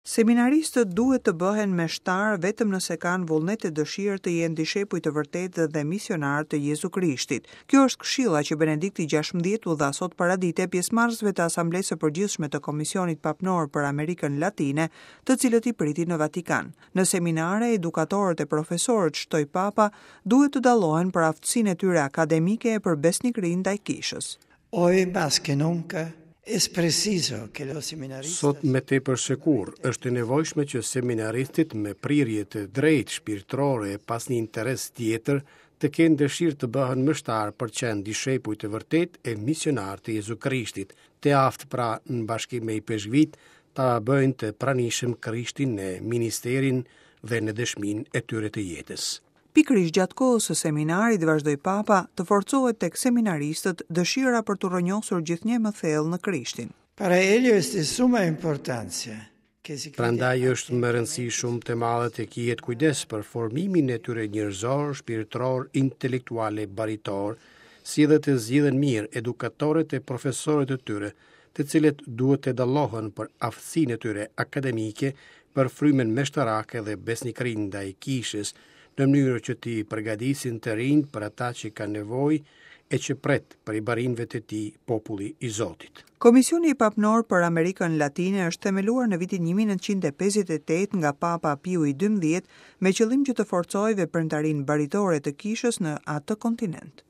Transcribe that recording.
Seminaristët duhet të bëhen meshtarë vetëm nëse kanë vullnet e dëshirë të jenë dishepuj të vërtetë dhe misionarë të Jezu Krishtit. Kjo është këshilla që Benedikti 16 u dha sot paradite pjesëmarrësve të Asamblesë së Përgjithshme të Komisionit Papnor për Amerikën Latine, të cilët i priti në Vatikan. Në seminare, edukatorët e profesorët, shtoi Papa, duhet të dallohen për aftësinë e tyre akademike e për besnikërinë ndaj Kishës. Hoy más que nunca es preciso que los seminaristas Sot më tepër se kurrë, është e nevojshme që seminaristët me prirje të drejtë shpirtërore e pa asnjë interes tjetër të kenë dëshirë të bëhen meshtarë për të qenë dishepuj të vërtetë e misionarë të Jezu Krishtit, të aftë pra në bashkim me ipeshkvijtë ta bëjnë të pranishëm Krishtin në ministerin dhe në dëshminë e tyre të jetës. Pikërisht gjatë kohës së seminarit, vazhdoi Papa, të forcohet tek seminaristët dëshira për t'u rrënjosur gjithnjë e më thellë në Krishtin. Para ello es de suma importancia que se cuide Prandaj është me rëndësi shumë të madhe të kihet kujdes për formimin e tyre njerëzor, shpirtëror, intelektual e baritor, si dhe të zgjidhen mirë edukatorët e profesorët e tyre, të cilët duhet të dallohen për aftësinë e tyre akademike, për frymën meshtarake dhe besnikërinë ndaj kishës, në mënyrë që t'i përgatisin të rinjtë për ata që kanë nevojë e që pret prej barinjve të tij populli i Zotit. Komisioni Papnor për Amerikën Latine është themeluar në vitin 1958 nga Papa Piu i XII me qëllim që të forcojë veprimtarinë baritore të kishës në atë kontinent.